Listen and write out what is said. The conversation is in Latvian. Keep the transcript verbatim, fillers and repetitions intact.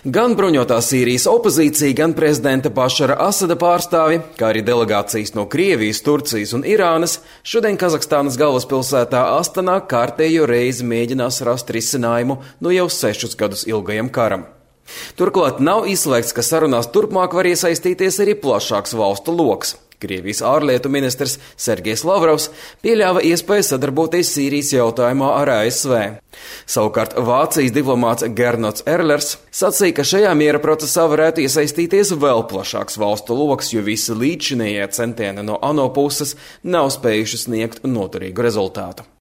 Gan bruņotā Sīrijas opozīcija, gan prezidenta Bašara Asada pārstāvi, kā arī delegācijas no Krievijas, Turcijas un Irānas, šodien Kazahstānas galvaspilsētā Astanā kārtējo reizi mēģinās rast risinājumu no jau sešus gadus ilgajam karam. Turklāt nav izslēgts, ka sarunās turpmāk var iesaistīties arī plašāks valstu loks. Krievijas ārlietu ministrs Sergejs Lavrovs pieļāva iespēju sadarboties Sīrijas jautājumā ar A S V. Savukārt Vācijas diplomāts Gernots Erlers sacīja, ka šajā miera procesā varētu iesaistīties vēl plašāks valstu loks, jo visi līdzšinējie centieni no ANO puses nav spējuši sniegt noturīgu rezultātu.